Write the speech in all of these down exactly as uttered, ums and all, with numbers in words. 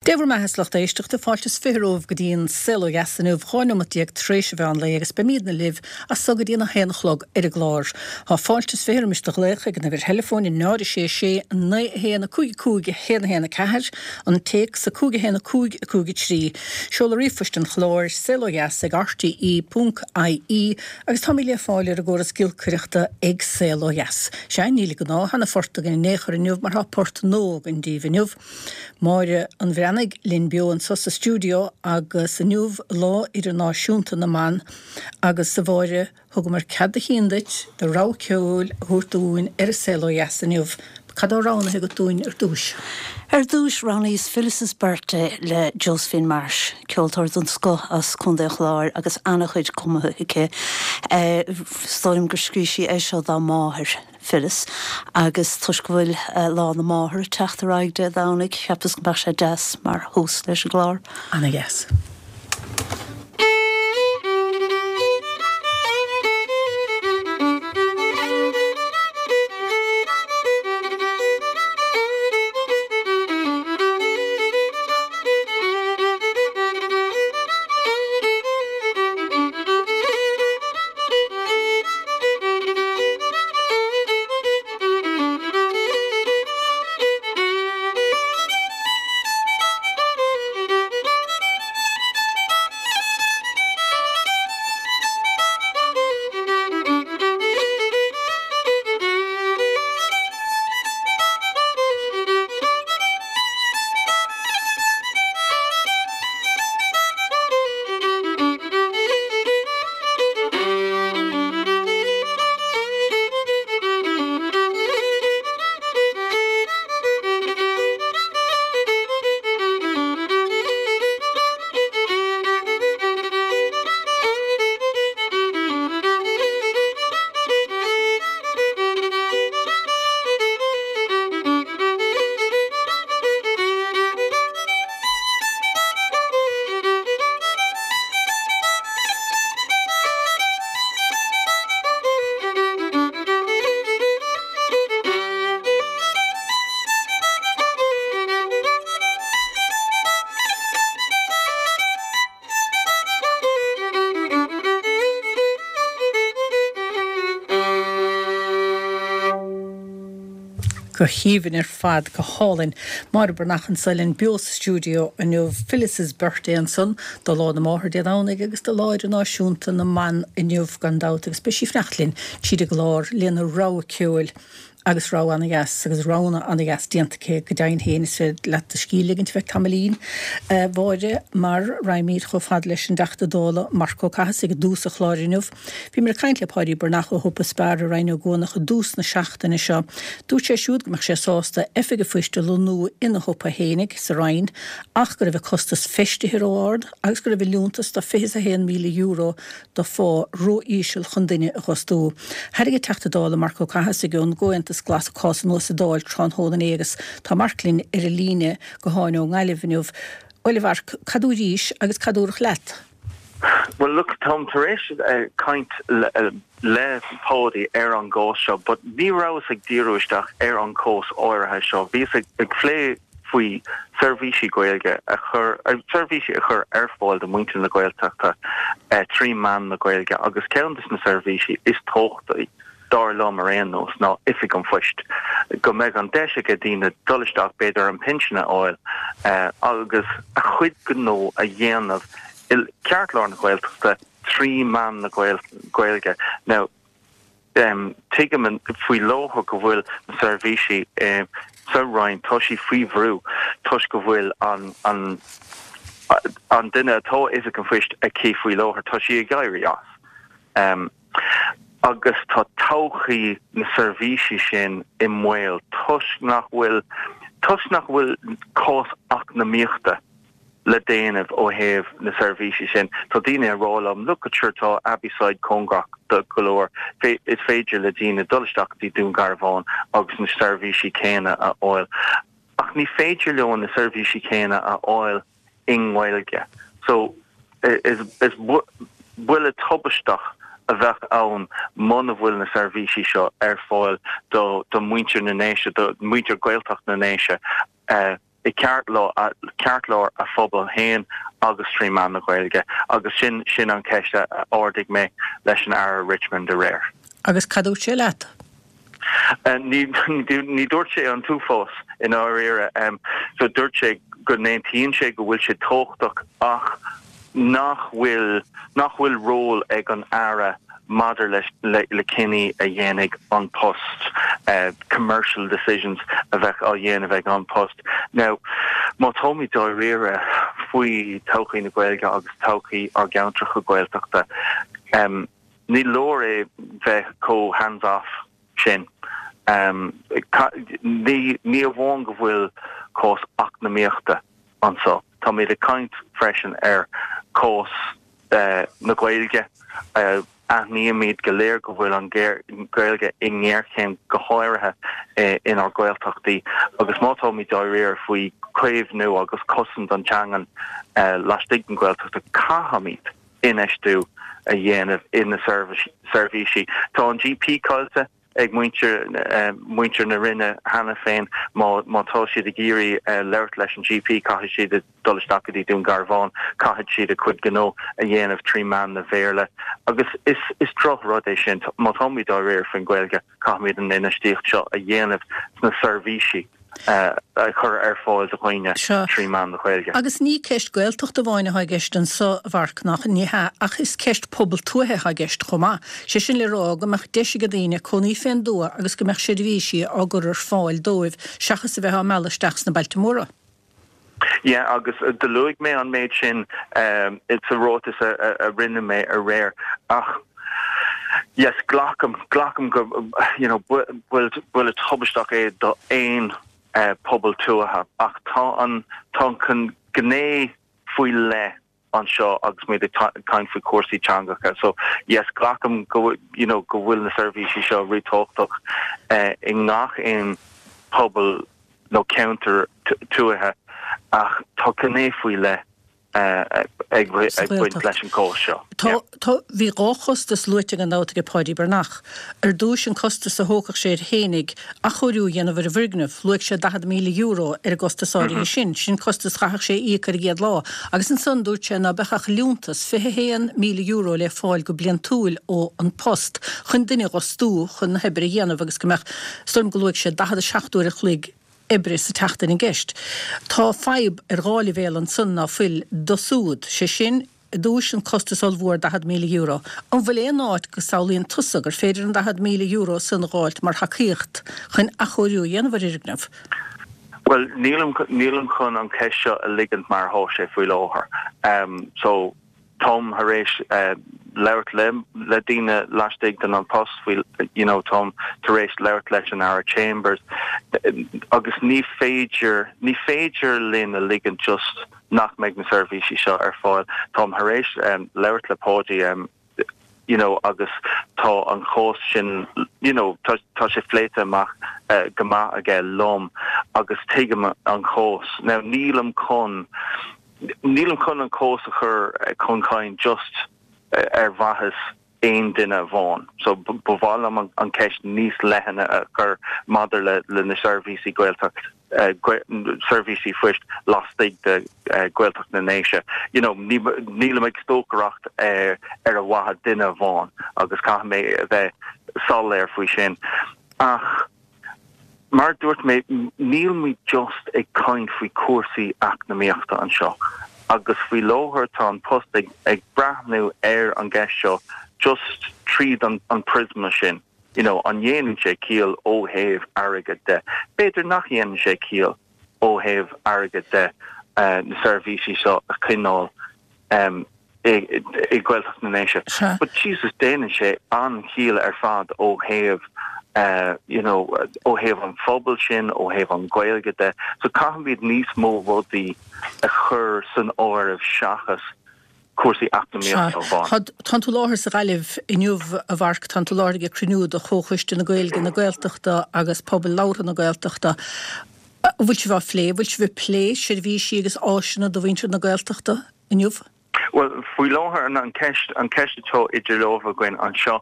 Dé bhur mbeatha a lucht éisteachta fáilte is fiche romhaibh go dtí an Saol Ó Dheas inniu dhá neomat déag tar éis an mheán lae agus beimidne libh as so go dtí an a haon a chlog ar an gclár. Tá fáilte is fiche roimis do ghlaoch ag an uimhir theileafóin náid a sé sé naoi a haon a cúig a cúig a haon a haon a ceathair, an téacs a cúig a haon a cúig a cúig a trí. Seoladh ríomhphoist an chláir, saol ó dheas ag rte ponc ie agus táimid le fáil ar an gcóras giolcaireachta ag Saol Ó Dheas. Sea, níl an gnáth-sheana-phort againn in aon chor inniu mar tá port nua againn daoibh inniu. Máire an Bhreathnaigh linn beo anseo sa stiúideo agus inniu Lá Idirnáisiúnta na mBan agus a Mháire thugamar cead do chinn duit do rogha ceoil a thabhairt dúinn ar an Saol Ó Dheas inniu. Cad atá roghnaithe agat dúinn ar dtús? Ar dtús roghnaíos Phyllis's Birthday le Josephine Marsh, ceoltóir den scoth as Contae an Chláir agus an-chuid cumtha aici. Is dóigh liom gur scríobh sí é seo dá máthair. Phyllis, agus toisc go bhfuil Lá na Máthar ag teacht ar aghaidh Dé Domhnaigh, cheapas go mbeadh sé deas mar thús leis an gclár. Ana-dheas. Go haoibhinn ar fad, go hálainn. Máire Breathnach anseo linn beo sa stiúideo inniu. Phyllis's Birthday ansan do Lá na Máthar Dé Domhnaigh agus do Lá Idirnáisiúnta na mBan inniu gan dabht agus beidh sí ag fanacht linn tríd an gclár lena rogha ceoil. Agus rogha ana-dheas, agus roghanna ana-dheas déanta aici go deimhin féin, is féidir leat do scíth a ligint ar feadh tamaillín, a Mháire, mar raghaimid chomh fada leis an dTeachta Dála Marc Ó Cathasaigh i dtús an chláir inniu. Bhíomar ag caint le Páidí Breathnach ó shiopa Spar i Rinn Ó gCuanach i dtús na seachtaine seo. Dúirt sé siúd go mbeadh sé sásta oifig an phoist a lonnú ina shiopa fhéinig sa Rinn ach go raibh an costas feistithe ró-ard agus go raibh an liúntas de fiche is a haon míle euro do phá ró-íseal chun duine a dh'fhostú. Tharraing an Teachta Dála Marc Ó Cathasaigh ón gComhaontas Glas an cás anuas sa Dáil tráthnóna inné agus tá Marc linn ar an líne gutháin ón nGaillimh inniu. Bhuel a Mhairc, cad dúraís agus cad dúradh leat? Bhuel look, táim tar éis caint le Páidí ar an gcás seo but ní rabhas ag díriú isteach ar an chás áirithe seo. Bhíos ag plé faoi seirbhísí Gaeilge a chur, seirbhísí a chur ar fáil do mhuintir na Gaeltachta trí mheán na Gaeilge agus ceann de na seirbhísí is tábhachtaí, dar liom ar aon nós, ná Oifig an Phoist. Go mbeidh an deis aige daoine dul isteach, b'fhéidir an pinsean a fháil agus a chuid gnó a dhéanamh i gceartlár na Gaeltachta trí mheán na Gaeilge. Now, Tuigim faoi láthair go bhfuil na seirbhísí sa Roinn, tá siad faoi bhrú toisc go bhfuil an an duine atá Oifig an Phoist aici faoi láthair, tá sí ag éirí as. Agus tá todhchaí na seirbhísí sin i mbaol toisc nach bhfuil toisc nach bhfuil cás eacnamaíochta le déanamh ó thaobh na seirbhísí sin. Tá daoine ag rá liom, look sure tá Abbeyside cóngarach do go leor, is féidir le daoine dul isteach go dtí Dún Garbhán agus na seirbhísí céanna a fháil. Ach ní féidir leo na seirbhísí céanna a fháil i nGaeilge. So is is buille tubaisteach a bheadh ann muna bhfuil na seirbhísí seo ar fáil do do mhuintir na nDéise, do mhuintir Gaeltacht na nDéise. i ceartlár a phobal féin agus trí mheán na Gaeilge agus sin sin an ceist a ardaigh mé leis an Aire Richmond aréir. Agus cad dúirt sé leat? Ní ní dúirt sé an t-uafás i ndáiríre um, so dúirt sé go n-aontaíonn sé go bhfuil sé tábhachtach ach nach bhfuil nach bhfuil ról ag an Aire maidir leis le, le cinní a dhéanfaidh An Post uh, commercial decisions a bheith á dhéanamh ag An Post. Now má táimid dáiríre faoi todhchaí na Gaeilge agus todhchaí ár gceantracha Gaeltachta um, ní leor é bheith chomh hands off sin. Um, ní ní amháin go bhfuil cás eacnamaíochta anseo. Táimid ag caint freisin ar cás uh, na Gaeilge uh, aithnímid go léir go bhfuil an Gaeilge i ngéarchéim go háirithe eh, inár Gaeltachtaí agus má táimid dáiríre faoi caomhnú agus cosaint an teangan eh, laistigh den Ghaeltacht caithfimid infheistiú a dhéanamh in na seirbhísí. Tá an GP caillte ag muintir uh, muintir na Rinne cheana féin má má tá siad ag iarraidh uh, labhairt leis an GP caithfidh siad dul isteach go dtí Dún Garbhán caithfidh siad a cuid gnó a dhéanamh trí mheán na Béarla agus is is drochrud é sin má táimid dáiríre faoin Ghaeilge caithfimid an infheistíocht seo a dhéanamh sna seirbhísí. Uh, a chur ar fáil do dhaoine trí mheán na Gaeilge. Agus ní ceist Gaeltacht amháin atá i gceist anseo a Mharc nach ní hea ach is ceist pobal tuaithe atá i gceist chomh maith. Sé sin le rá go mbeadh deis ag daoine cónaí fén dtuath agus go mbeadh seirbhísí á gcur ar fáil dóibh seachas a bheith á mealladh isteach sna bailte móra. Yeah, agus uh, do luaigh mé an méid sin um, it's a ráiteas a, a, a rinne mé aréir ach yes glacaim glacaim go you know bhfuil bhfuil tubaisteach é do aon uh, pobal tuaithe ach tá an tá an gné faoi leith anseo agus muid ag caint faoi cúrsaí teangacha so yes glacaim go you know go bhfuil na seirbhísí seo ríthábhachtach uh, i ngach aon pobal nó ceantar tuaithe ach tá gné faoi leith uh, ag baint leis an cás seo. Tá bhí dhá chostas luaite gan dabht ag Páidí Breathnach. Ar dtús an costas a thógfadh sé air fhéinig athchóiriú a dhéanamh ar an bhfoirgneamh, luaigh sé daichead míle euro ar an gcostas áirithe sin, sin costas a chaithfeadh sé a íoc ar an gcéad lá, agus ansan dúirt sé ná beadh ach liúntas fiche haon míle euro le fáil go bliantúil ó An Post chun duine a fhostú chun na hoibre a dhéanamh agus go mbeadh, is dóigh liom go luaigh sé daichead a seacht uair a chloig oibre sa tseachtain i gceist. Tá fadhb ar dhá leibhéal ansan ná fuil dosúd, sé sin, i dtús an costas ollmhór daichead míle euro. An bhfuil aon áit go samhlaíonn tusa gur féidir an daichead míle euro san a dh'fháilt mar thacaíocht chun athchóiriú a dhéanamh ar fhoirgneamh? Bhuel, nílim nílim chun an ceist seo a ligint mar atá sé faoi láthair. Um, so táim tar éis uh, labhairt le le daoine laistigh den An Post faoi you know táim tar éis labhairt leis an Aire Chambers agus ní féidir ní féidir linn a ligean just nach mbeidh na seirbhísí seo ar fáil táim tar éis um, labhairt le Páidí um, you know agus tá an chás sin you know tá tá sé pléite amach uh, go maith aige liom agus tuigim an chás now nílim chun nílim chun an cás a chur eh, chun cinn just eh, ar mhaitheas aon duine amháin. So ba mhaith liom an, an ceist níos leithne a chur maidir le le na seirbhísí Gaeltacht uh, seirbhísí phoist laistigh de uh, Gaeltacht na nDéise. You know, nílim ag stocaireacht ar ar a mhaithe duine amháin agus caithfidh mé a bheith soiléir faoi sin. Ach mar dúirt mé níl muid just ag caint faoi cúrsaí eacnamaíochta anseo. Agus faoi láthair tá An Post ag, ag breathnú ar an gceist seo just tríd an, an prisma sin. You know, an dhéanann sé ciall ó thaobh airgid de. B'fhéidir nach dhéanann sé ciall ó thaobh airgid de uh, na seirbhísí seo a choinneáil um, i i Gaeltacht na nDéise. But Jesus déanann sé an-chiall ar fad ó thaobh uh, you know, ó thaobh an phobal sin ó thaobh an Ghaeilge de, so caithfimid níos mó rudaí a chur san áireamh seachas cúrsaí eacnamaíochta amháin. Tá tú i láthair sa Ghaillimh inniu a Mharc tá tú i láthair ag cruinniú de Chomhchoiste na Gaeilge na Gaeltachta agus Pobal Labhartha na Gaeltachta. Bhfuil sibh á phlé, bhfuil sibh ag plé seirbhísí agus áiseanna do mhuintir na Gaeltachta inniu? Well faoi láthair an an ceist an ceist atá idir lámha againn anseo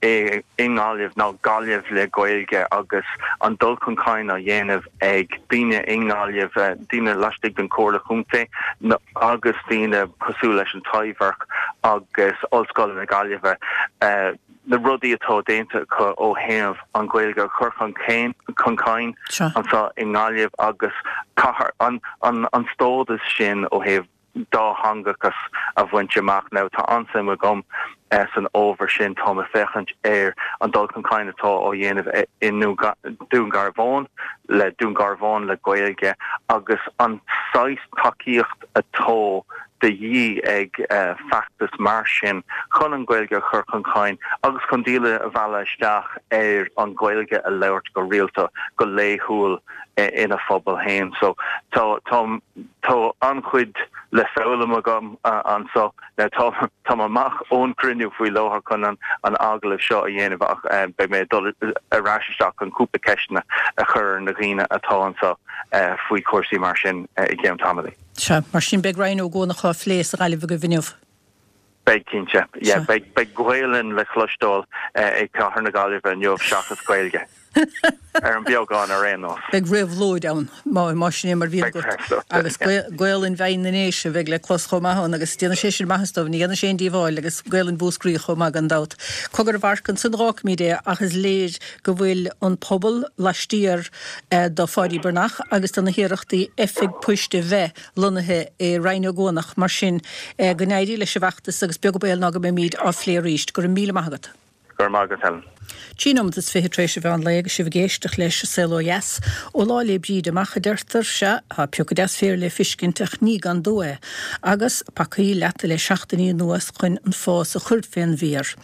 i i nGaillimh ná Gaillimh le Gaeilge agus an dul chun cinn á dhéanamh ag daoine i nGaillimh eh, daoine laistigh den Chomhairle Chontae agus daoine cosúil leis an Taibhdhearc agus Ollscoil na Gaillimhe uh, na rudaí atá déanta acu ó thaobh an Ghaeilge a chur chun cinn chun cinn anseo i nGaillimh agus cathair an an an stádas sin ó thaobh dátheangachas a bhaint amach now tá an-suim agam eh, san ábhar sin tá mé ag féachaint ar an dul chun cinn atá á dhéanamh i nDún Garbhán le Dún Garbhán le Gaeilge agus an saghas tacaíocht atá de dhíth ag uh, feachtas mar sin chun an Ghaeilge a chur chun cinn agus chun daoine a mhealladh isteach ar an Ghaeilge a labhairt go rialta go laethúil eh, ina phobal féin so tá tá tá an-chuid le foghlaim agam uh, anseo le tá tá amach ón gcruinniú faoi láthair chun an an agallamh seo a dhéanamh ach uh, beidh mé dul ar ais isteach an cúpla ceisteanna a chur na dhaoine atá anseo uh, faoi chúrsaí mar sin uh, i gceann tamaill. Sea mar sin beidh Rinn Ó gCuanach á phlé sa Ghaillimh agaibh inniu. Beidh cinnte beidh Gaelainn le cloisteáil ag cathair na Gaillimhe inniu seachas Gaeilge. ar an beagán ar aon nós. Beidh réabhlóid ann má má sin mar bhí agus Gaelainn Bheinn na nDéise bheidh le clos chomh maith ann agus déanfaidh sé sin maitheas dóibh ní dhéanfaidh sé aon díobháil agus Gaelainn Mhúscraí chomh maith gan dabht. Cogar a mharc ansan fágfaimid é ach is léir go bhfuil an pobal laistiar eh, do Pháidí Breathnach agus do na hiarrachtaí oifig poist a bheith lonnaithe i Rinn Ó gCuanach mar sin eh, go n-éirí leis an bhfeachtas agus beag an baol ná go mbeimid á phlé arís go raibh míle maith agat. Gur maith agat Helen. Trí nóiméad is fiche tar éis an mheán lae agus sibh ag éisteacht leis an Saol Ó Dheas ó Lá 'le Bríde amach a deirtear sea tá piocadh deas féir le feiscint ach ní gan dó é, agus pacaí leata le seachtainí anuas chun an fás a chur fén bhféar.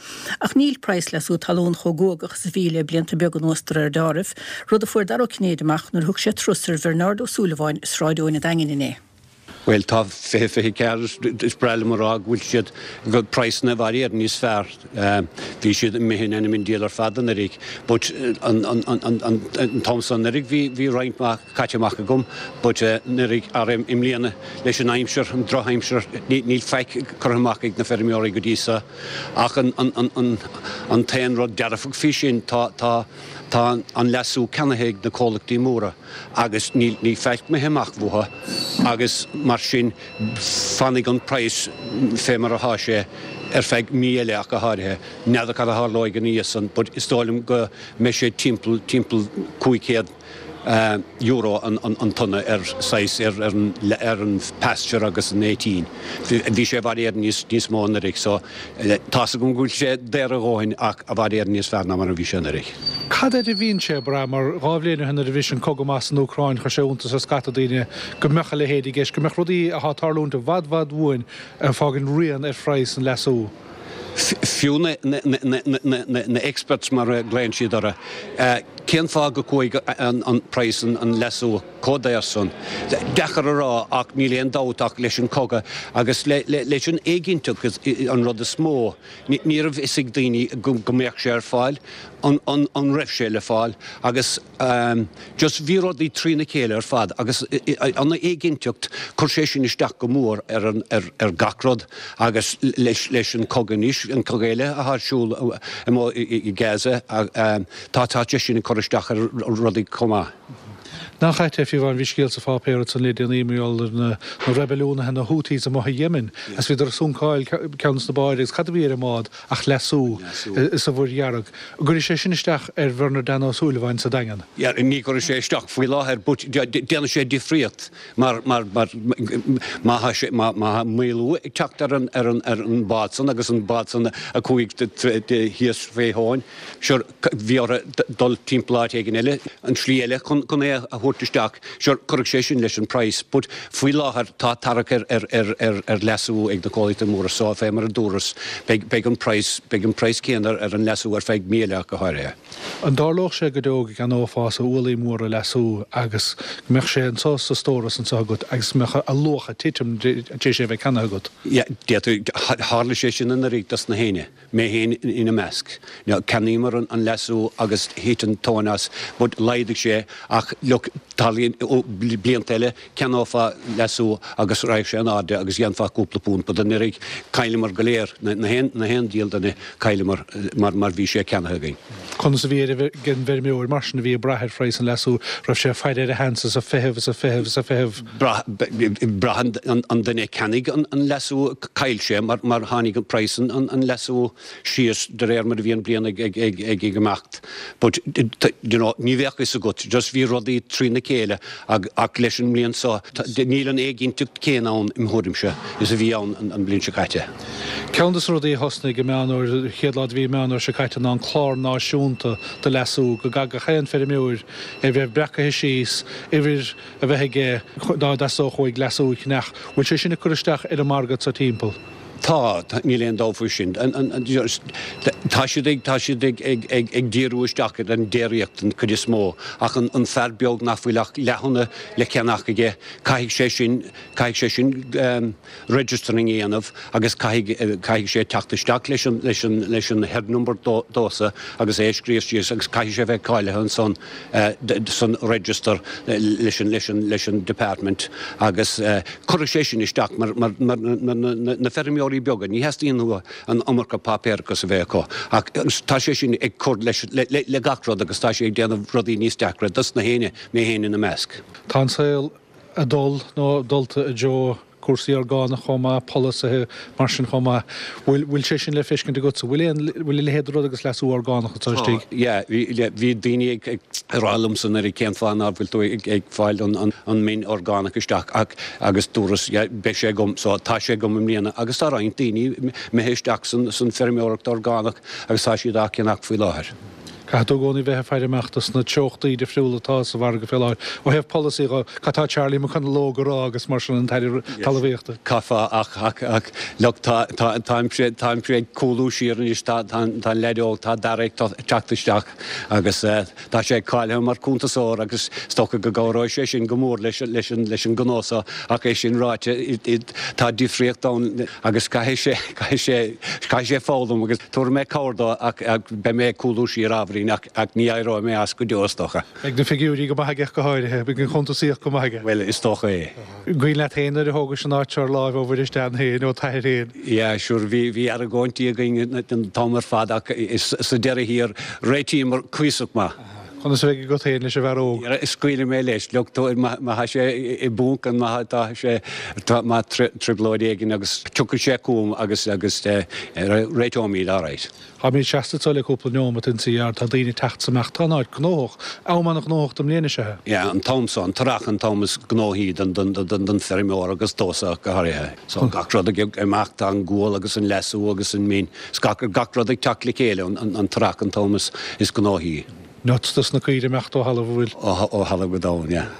Ach níl praghas leasú talún chomh guagach is a bhí le blianta beaga anuas de réir dealraimh, rud a fuair Dara Ó Cinnéide amach nuair a thug sé turas ar Bhernard Ó Súilleabháin i Sráid Eoin an Daingin inné. Well tá fiche fiche ceathair is breá liom a rá go bhfuil siad go praghsanna i bhfad Éireann níos fearr. Bhí siad imithe in ainm an diabhail ar fad anuraidh, but an an an an an an t-am san anuraidh bhí bhí roinnt mhaith caite amach agam, but anuraidh ar i mbliana leis an aimsir an drochaimsir níl faic curtha amach ag na feirmeoirí go dtí seo ach an an an an an t-aon rud dearfach faoi sin tá tá tá an leasú ceannaithe ag na comhlachtaí móra agus níl ní faic imithe amach uathu agus mar sin fanfaidh an praghas fé mar atá sé ar feadh mí eile ach go háirithe. N'fheadar cad a tharlóidh ina dhiaidh san, but is dóigh liom go mbeidh sé timpeall timpeall cúig chéad euro an an an tonna ar saghas ar ar an ar an pasture agus an eighteen. Bhí sé i bhfad Éireann níos níos mó anuraidh so tá's agam go bhfuil sé daor a dhóthain ach i bhfad Éireann níos fearr ná mar a bhí sé anuraidh. Cad air a bhíonn sé ag brath mar dhá bhliain ó shin nuair a bhris an cogadh amach san Úcráin chuir sé iontas ar scata daoine go mbeadh a leithéid i gceist, go mbeadh rudaí atá ag tarlúint i bhfad bhfad uainn ag fágaint rian ar phraghas an leasú. Fiú na na na experts mar a ghlaonn siad orthu, cén fáth go chuaigh an an praghas an an leasú chomh daor san? Deacair a rá ach níl aon dabht ach leis an cogadh agus le le leis an éiginnteacht an rud is mó. Ní raibh fhios ag daoine go go mbeadh sé ar fáil, an an an raibh sé le fáil agus just bhí rudaí trína chéile ar fad agus an éiginnteacht chuir sé sin isteach go mór ar an ar ar gach rud agus leis leis an cogadh anois an cogadh eile atá ar siúl i Gaza tá tá sé sin ag cur isteach ar rudaí chomh maith. Nach ait é fiú amháin bhí scéal sa pháipéar ansan le déanaí mar gheall ar na na reibiliúnaithe na Houthis amuigh i Yemen agus bhíodar ag suncáil ceann des na báid agus cad a bhí ar an mbád ach leasú sa Mhuir Dhearg. An gcuirfidh sé sin isteach ar Bhernard Dan Ó Súilleabháin sa Daingean? Yeah, ní chuirfidh sé isteach faoi láthair but déanfaidh sé difríocht mar mar mar má tá sé má má tá maolú ag teacht ar an ar an ar an bád san agus an bád san a chuaigh thíos fé thóin sure bhí orthu dul timpeall áit éigin eile, an slí eile chun chun é a thabhairt isteach, sure cuirfidh sé sin leis an praghas but faoi láthair tá tarrac ar ar ar ar ar leasú ag na comhlachtaí móra so fé mar a dúras beidh beidh an praghas beidh an praghas céanna ar an leasú ar feadh mí eile ach go háirithe. An dtarlódh sé go deo go gceannófása ualaí móra leasú agus go mbeadh sé anseo sa stóras anseo agat agus go mbeadh a luach ag titim tar éis é a bheith ceannaithe agat? Yeah, d'fhéadfadh, tharla sé sin anuraidh dos na héinne. Mé féin ina measc. Cheannaíomar an leasú agus thit an tóin as, but laghdaigh sé ach look, Tarlaíonn blianta eile, ceannófá leasú agus raghadh sé in airde agus dhéanfá cúpla punt, but anuraidh chailleamar go léir, na haon diabhal duine, chailleamar mar mar bhí sé ceannaithe againn. Conas a bhí ar an bhfeirmeoir mar sin a bhí ag brath ar phraghas an leasú, raibh sé ag faire ar a sheans is ag feitheamh is ag feitheamh is ag feitheamh? Brath an duine a cheannaigh an leasú, chaill sé mar mar tháinig an praghas an leasú síos de réir mar a bhí an bliain ag ag ag imeacht. But you know ní bheadh fhios agat, just bhí rudaí trína chéile ach leis an mbliain seo níl an éiginnteacht chéanna ann im thuairimse is a bhí ann an bhliain seo caite. Ceann de na rudaí a thosnaigh i Meán Fhómhair, an chéad lá de mhí Meán Fhómhair seo caite ná an clár náisiúnta do leasú, go gcaithfeadh gach aon feirmeoir a bheith breacaithe síos, uimhir a bheith aige dá dteastódh uaidh leasú a cheannach. Bhfuil sé sin ag cur isteach ar an margadh anseo timpeall? Tá, níl aon dabht faoi sin. Tá siad ag, tá siad ag, ag, ag, ag díriú isteach ar an déiríocht den chuid is mó, ach an, an fear beag nach bhfuil ach leath-thonna le ceannach aige, caithfidh sé sin, caithfidh sé sin registering a dhéanamh agus caithfidh, caithfidh sé teacht isteach leis an, leis an, leis an herd number dósa agus é a scríobh síos agus caithfidh sé bheith cáilithe ansan san register leis an, leis an, leis an department agus cuirfidh sé sin isteach mar, mar, mar na feirmeoirí beaga, ní theastaíonn uathu an iomarca páipéarachas a bheith acu ach tá sé sin ag cur leis, le, le, le gach rud agus tá sé ag déanamh rudaí níos deacra dos na héinne, mé féin ina measc. Tá an saol ag dul nó dulta i dtreo cúrsaí orgánach chomh maith, polasaithe mar sin chomh maith. Bhfuil, bhfuil sé sin le feiscint agatsa? Bhfuil aon, bhfuil a leithéid de rud agus leasú orgánach anseo Tá, istigh? yeah, bhí, bhí daoine ag, ag rá liomsa anuraidh cén fáth ná bhfuil tú ag, ag fáil an, an, an min orgánach isteach ach, agus dúras, yeah, beidh sé agam, so tá sé agam i mbliana agus tá roinnt daoine imithe isteach san, san feirmeoireacht orgánach agus tá siad á ceannach faoi láthair. Caithfidh tú i gcónaí bheith ag faire amach dos na treochtaí difriúla atá sa mhargadh fé láthair. Ó thaobh polasaí dho, cad tá Charlie McConalogue a rá agus mar sin an tAire Talmhaíochta? Caithfeá ach, ach, ach, look, tá, tá, táimse, táimse ag cúlú siar anois, tá, tá, tá an leaid óg, tá Dara ag teacht isteach agus eh, tá sé cáilithe mar cuntasóir agus is dócha go gcabhróidh sé sin go mór leis, leis an, leis an gnó seo ach é sin ráite, tá difríocht ann agus caithfidh sé, caithfidh sé, caithfidh sé foghlaim agus tabharfaidh mé cabhair dó ach, ach beidh mé ag cúlú siar ábhairín ach, ach ní éireoidh mé as go deo is dócha. Beidh na figiúirí go maith aige ach go háirithe, beidh an chuntasaíocht go maith aige. Bhuel, is dócha é. An cuimhin leat féin nuair a thógais an áit seo ar láimh ó Mhuiris Dan féin, ó t'athair féin? Yeah, sure, bhí, bhí argóintí againn an t-am ar fad ach sa deireadh thiar réitíomar cuíosach maith. Conas a bheidh agat féin leis an bhfear óg? Scaoilfidh mé leis. Look, má tá sé i bponc an má tá sé má trioblóid éigin agus tiocfaidh sé chugam agus agus réiteoimid alright. Táimid seasta anseo le cúpla neomat insa yard, tá daoine ag teacht is ag imeacht, tá an áit gnóthach. Am an-ghnóthach den mbliain is ea é. Yeah, an t-am so, an t-earrach an t-am is gnóthaí don don don don feirmeoir agus domhsa ach go háirithe. So gach rud ag imeacht, tá an gual agus an leasú agus an min, is gach gach rud ag teacht le chéile an an an t-earrach an t-am is is gnóthaí. Nuts dos na caoirigh imeacht ó thalamh an bhfuil? Ó thalamh go domhan, yeah.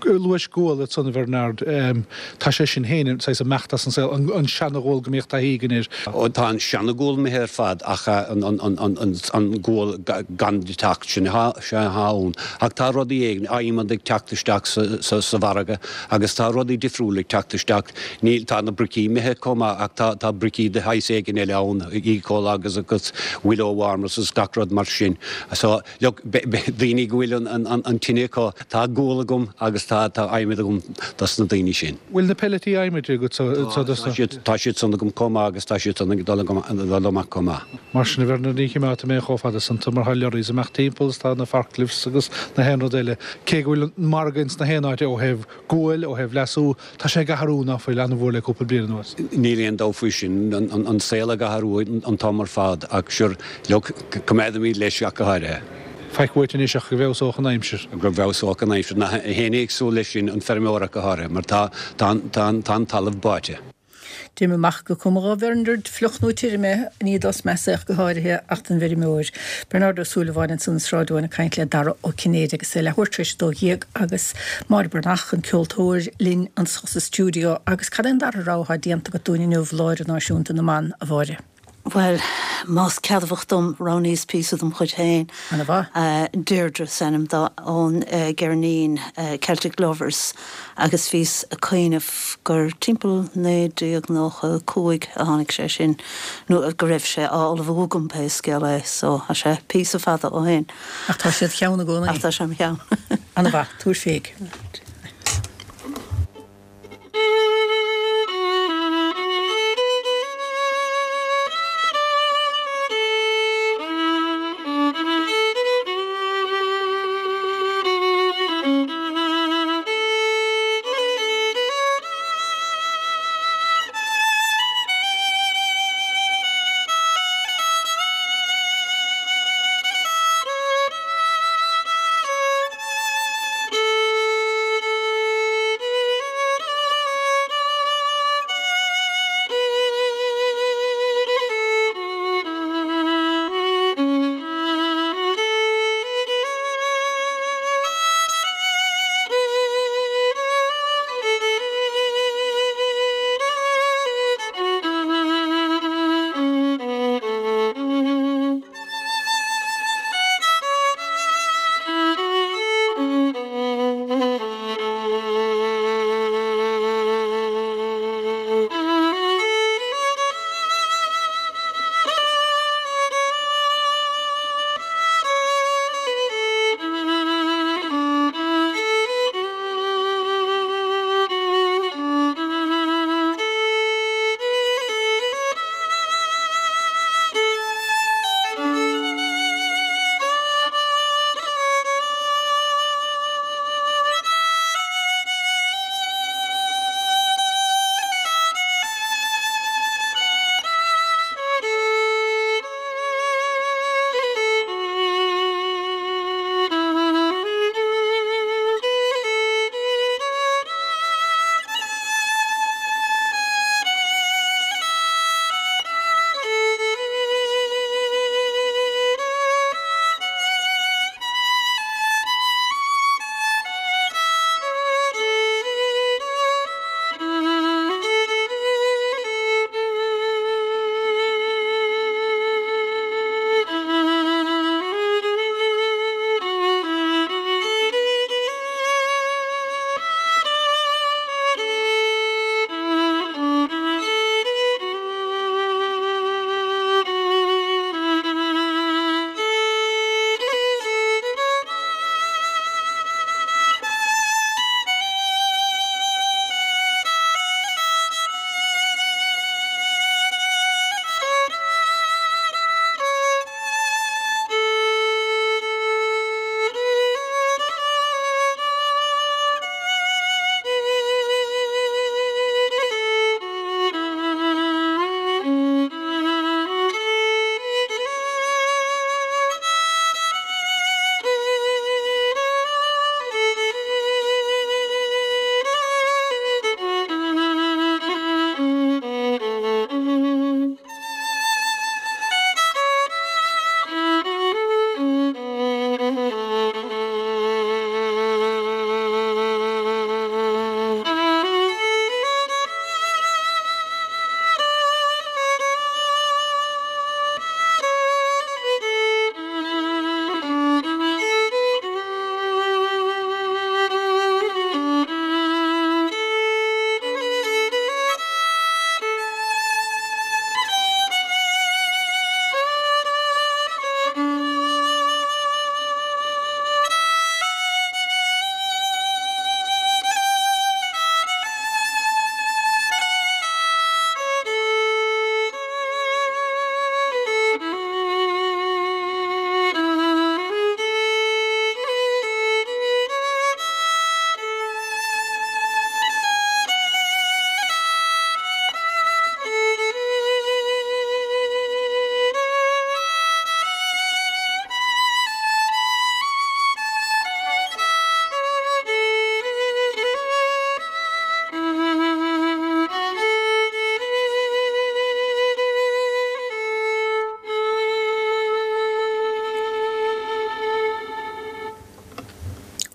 Luais gual ansan a Bhernard, tá sé sin féin saghas ag imeacht as an saol, an seana-ghual go mbíodh taithí againn air. Ó tá an seana-ghual imithe ar fad ach an gual gan deatacht, sin atá ann. Ach tá rudaí éigin, adhmad ag teacht isteach sa mhargadh agus tá rudaí difriúla ag teacht isteach. Níl, tá na bricí imithe chomh maith ach tá tá bricí de shaghas éigin eile ann, eco-logs agus willow warmers agus gach rud mar sin. So Look, daoine go bhfuil an tine acu, tá gual agam agus tá adhmad agam dos na daoine sin. Bhfuil na peilití adhmaid agat sa dos na. Tá siad san agam chomh maith agus tá siad san ag dul amach chomh maith. Mar sin, a Bhernard, ní chimeádfaidh mé chomh fada san tú mar tá lorries ag imeacht timpeall is tá na forklifts agus na haon rud eile. Cé go bhfuil an margadh ins na haon áit ó thaobh guail, ó thaobh leasú, tá sé ag athrú ná fuil, an-mhór le cúpla bliain anuas. Níl aon dabht faoi sin, an saol ag athrú an t-am ar fad ach sure, look, coimeádaimid leis ach go háirithe. Faic uait anois ach go bhfeabhsódh an aimsir. Go bhfeabhsódh an aimsir. Nach éinne ag súil leis sin, an feirmeoir ach go háirithe, mar tá, tá, tá, tá an talamh báite. Déanaim amach gur cuma dhá Bhernard fliuch nó tirim é, ní dos measa ach go háirithe ach don bhfeirmeoir. Bernard Ó Súilleabháin ansan i Sráid Eoin ag caint le Dara Ó Cinnéide agus é leathuair tar éis a dó dhéag agus Máire Breathnach, an ceoltóir, linn anso sa stiúideo. Agus cad é an dara rogha atá déanta agat dúinn inniu, Lá Idirnáisiúnta na mBan, a Mháire? Bhuel, más ceadmhach dom, roghnaíos píosa dem chuid féin. Ana mhaith. Deirdre is ainm dó, ón gceirnín Celtic Lovers agus bhíos ag cuimhneamh gur timpeall naoi déag nócha a cúig a tháinig sé sin, nó go raibh sé á ullmhú agam pé scéal é, so tá sé píosa fada ó shin. Ach tá sé id cheann i gcónaí. Ach tá sé im cheann. Ana-mhaith, tabhair féig.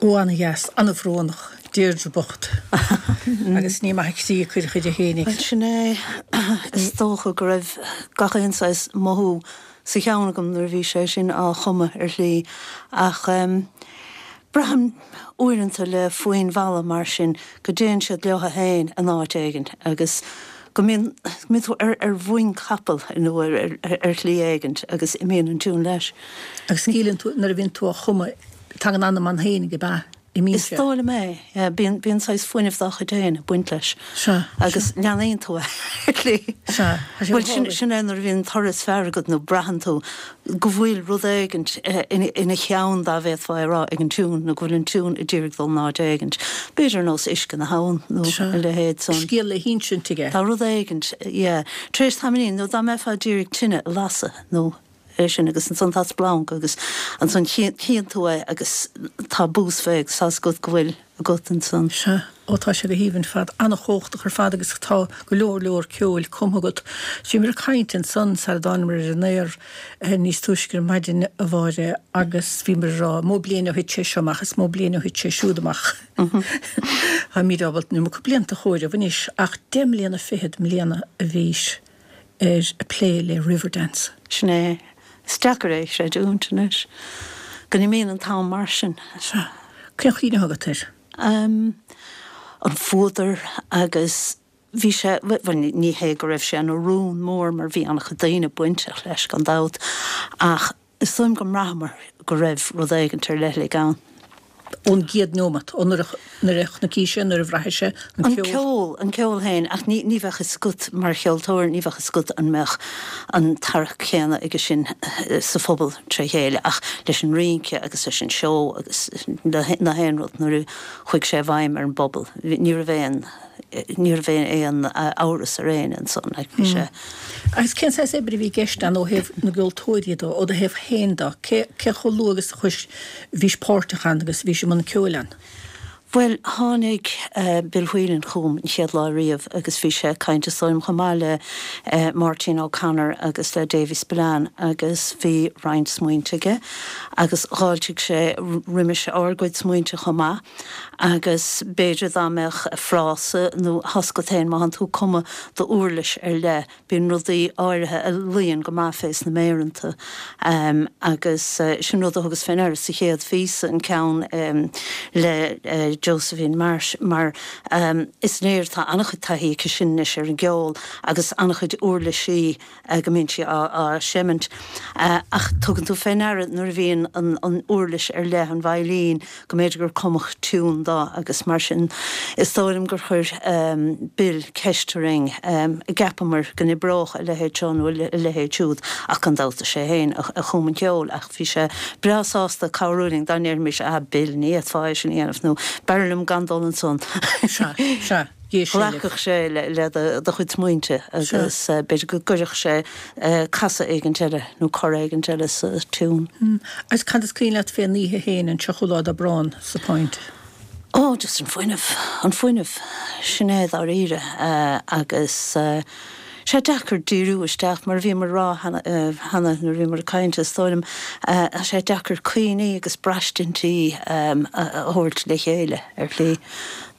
Ó ana-dheas, ana-bhrónach, Deirdre bocht. Agus ní maith a croí a cuireadh di fhéinig. Bhuel, sin é. Is dócha go raibh gach aon saghas mothú sa cheann agam nuair a bhí sé sin á chumadh ar shlí ach braithim uaireanta le foinn mhalla mar sin go dtéann siad leo féin in áit éigin agus go mbíonn go mbíonn tú ar ar mhuin capall nó ar ar shlí éigin agus imíonn an tiún leis. Agus síleann tú nuair a bhíonn tú á chumadh tagann anam ann féinig ab ea? imíonn Is sé. dóigh liom é, yeah, bíonn, bíonn saghas fuinneamh dá chuid féin ag baint leis. Sea, Agus leanaíonn tú é, ar shlí. Sea, tá sé Bhuel, sin, go hálainn. sin é nuair a bhíonn toradh is fearr agat nó braitheann tú go bhfuil rud éigint eh, ina, ina cheann dá bhféadfá a rá ag an tiún nó go bhfuil an tiún ag iarraidh dul in áit éigint. B'fhéidir nós uisce na habhann nó Sea. a leithéid san. Scéal le hinsint aige. Tá rud éigint, yeah. Tar éis tamaillín, nó dá mbeifeá ag iarraidh tine a lasadh nó é sin agus ansan tá splanc agus ansan chíonn tú é agus tá bús fé agus tá's agat go bhfuil agat ansan. Sea, ó tá sé go haoibhinn ar fad, an-chumhachtach ar fad agus tá go leor leor ceoil cumtha agat. Bhíomar ag caint ansan sara dtánamar ar an aer eh, níos túisce ar maidin a Mháire agus bhíomar ag rá mó bliain ó thit sé seo amach is mó bliain ó thit sé siúd amach. Táimid ábalta an iomarca blianta a chomhaireamh anois ach deich mbliana fichead i mbliana a bhís ar a plé le Riverdance. Sin é. Is deacair é a chreidiúint anois. Go n-imíonn an t-am mar sin. Sea. Cén chuimhne agat air? Um, an fuadar agus bhí sé bhuel, ní hé go raibh sé ina rún mór mar bhí an-chuid daoine bainteach leis gan dabht ach is dóigh liom go mbraitheamar go raibh rud éigint ar leithligh ann. Ón gcéad nóiméad, ó nuair a nuair a chonaic sé, nuair a bhraith sé an An ceol. ceol, an ceol féin, ach ní, ní bheadh fhios agat mar cheoltóir, ní bheadh fhios agat an mbeadh an tarrac céanna aige sin eh, sa phobal tré chéile, ach leis an rince agus leis an seó agus le na haon rud nuair a chuaigh sé i bhfeidhm ar an bpobal. Ní raibh aon ní raibh aon eh, amhras ar éinne ansan, like, bhí sé. Agus cén saghas oibre a bhí i gceist ann ó thaobh na gceoltóirí dó, ó do thaobh féin dó, cé cé chomh luath agus a chuis bhís páirteach ann agus bhís i mbun ceoil ann? Bhuel, tháinig uh, Bill Whelan chugam an chéad lá riamh agus bhí sé caint is dóigh liom chomh maith le uh, Martin O'Connor agus le Davy Spillane agus bhí roinnt smaointe aige agus dh'fháiltigh sé roimis ár gcuid smaointe chomh maith agus b'fhéidir dá mbeadh frása nó tá's agat féin má tánn tú ag cumadh d'uirlis ar leith bíonn rudaí áirithe a luíonn go maith fés na méireanta um, agus uh, sin rud a thugas féin air sa chéad phíosa an ceann um, le uh, Josephine Marsh mar um, is léir tá an-chuid taithí aici sin anois ar an gceol agus an-chuid uirlisí uh, go mbíonn sí á, á seimint. Uh, ach tugann tú féin air nuair a bhíonn an, an uirlis ar leith an veidhlín go mb'fhéidir gur cumadh tiún dó agus mar sin is dóigh liom gur chuir um, Bill ceist orainn um, gceapamar go n-oibreodh a leithéid seo nó a leithéid siúd ach gan dabht sé féin a, a chum an ceol ach bhí sé breá sásta cabhrú linn dá ndéarfaimis a Bill ní fhéadfá é sin a dhéanamh nó b'fhearr liom gan dul ansan. Sea, sea, d'éist sé libh. Ghlacfadh sé le, le do, do chuid smaointe agus uh, b'fhéidir go gcuirfeadh sé uh, casadh éigint eile nó cor éigint eile sa tiún. Mm. Agus cad is cuimhin leat fén oíche féin an tríochadú lá d'Aibreán sa Point? Ó, just an fuinneamh, an fuinneamh sin é dáiríre uh, agus uh, sé deacair díriú isteach mar bhí mar rá cheana nuair bhí mar caint is dóigh liom sé deacair cuimhní agus braistintí um, a a thabhairt le chéile ar shlí.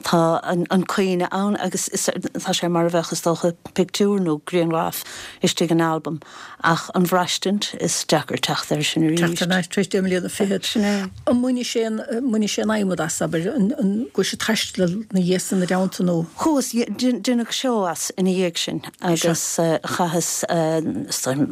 Tá an, an cuimhne ann agus is, tá sé mar a bheadh is dócha pictiúr nó grianghraf istigh in album ach an bhraistint is deacair teacht air sin arís. Teacht ar ais tar éis deich mbliana fichead. Sin é. An mbainfidh sé an mbainfidh sé an adhmad as abair an an go sé taisteal na dhiaidh na dteannta nó Chuas deineadh seó as ina dhiaidh sin agus uh, chaitheas uh,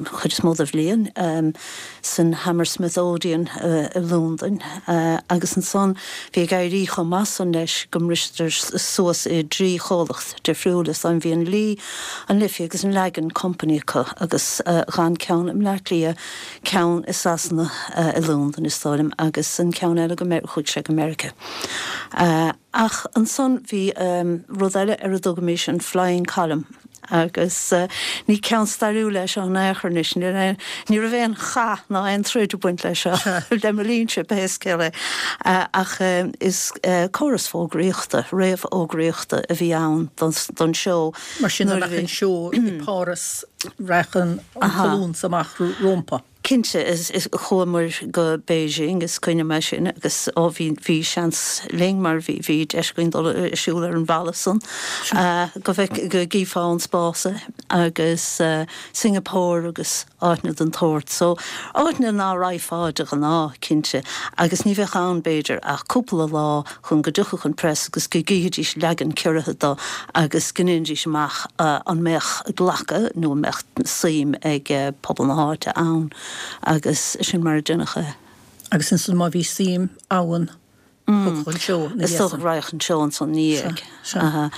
chuid is mó de bhliain um, san Hammersmith Odeon uh, i Londain uh, agus ansan bhí ag éirí chomh maith san leis go mbristear suas i dtrí chomhlacht difriúla an bhí an Lee an Liffey agus an Lagan Company acu agus uh, gan ceann i mBleá Cliath ceann i Sasana uh, i Londain is dóigh liom agus an ceann eile go chuaigh sé go Meiriceá. Uh, ach ansan bhí um, rud eile ar a dtugaimis an Flying Column agus uh, ní ceann stairiúil leis an éarnis ní raibh aon chath ná aon troid ag baint leis seo le mo linnse pé scéal é uh, ach uh, is uh, córas fógraíochta réamhfhógraíochta a bhí ann don, don seó. Mar sin Nuair a amach bhí- an seó i Páras rachadh an colún amach rompu. Cinnte is, is chuamar go Beijing is cuimhin liom sin agus ó bhí bhí seans linn mar bhí bhí deis againn dul siúl ar an bhalla san uh, go bheith go gcífeá an spás agus uh, Singapore agus áiteanna den tsórt so áiteanna ná raghfá de ghnáth cinnte agus ní bheadh ann b'fhéidir ach cúpla lá chun go dtiocfadh an press agus go gcífidís leagan ciorraithe dó agus go ndéanfaidís amach uh, an mbeadh glacadh nó an mbeadh suim ag uh, pobal na háite ann agus sin mar a deineadh é. Agus ansan má bhí suim ann Thiocfadh an seó ina Is dhiaidh dócha san. go raghadh an seó ansan ina dhiaidh. Sea, sea. Aha.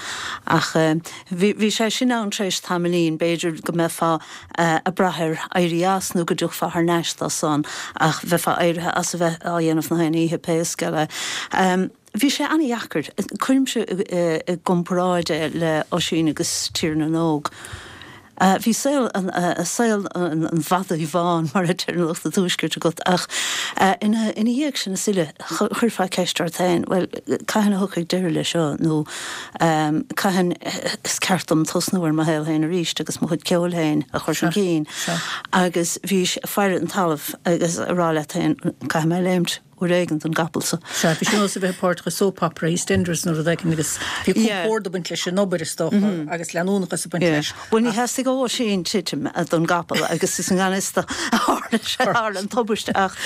Ach bhí, bhí sé sin ann tar éis tamaillín, b'fhéidir go mbeifeá ag brath ar éirí as nó go dtiocfá thar n-ais dó san ach bheifeá éirithe as a bheith á dhéanamh na haon oíche pé scéal é. Bhí sé an-dheacair. Cuirimse i gcomparáid é le Oisín agus Tír na nÓg. Bhí saol an saol an mhadaidh bháin mar a deir lucht an tuaiscirt agat ach ina ina dhiaidh sin is uile chuirfeá ceist ort féin, bhuel cathain a thiocfaidh deireadh leis seo nó cathain is ceart dom tosnú ar mo shaol féin arís agus mo chuid ceoil féin a chur chun cinn agus bhís ag faire an talamh agus ag rá leat féin caithfidh mé léimt. uair éigin den gcapall so. Sea, bhí sé ar nós a bheith páirteach i soap opera, EastEnders nó rud éigin agus bhí compord ag baint leis an obair is dócha agus leanúnachas ag baint leis. Bhuel ní theastaigh ó Oisín titim don gcapall agus is i ngan fhios dó a tharla sé, tharla an tubaiste ach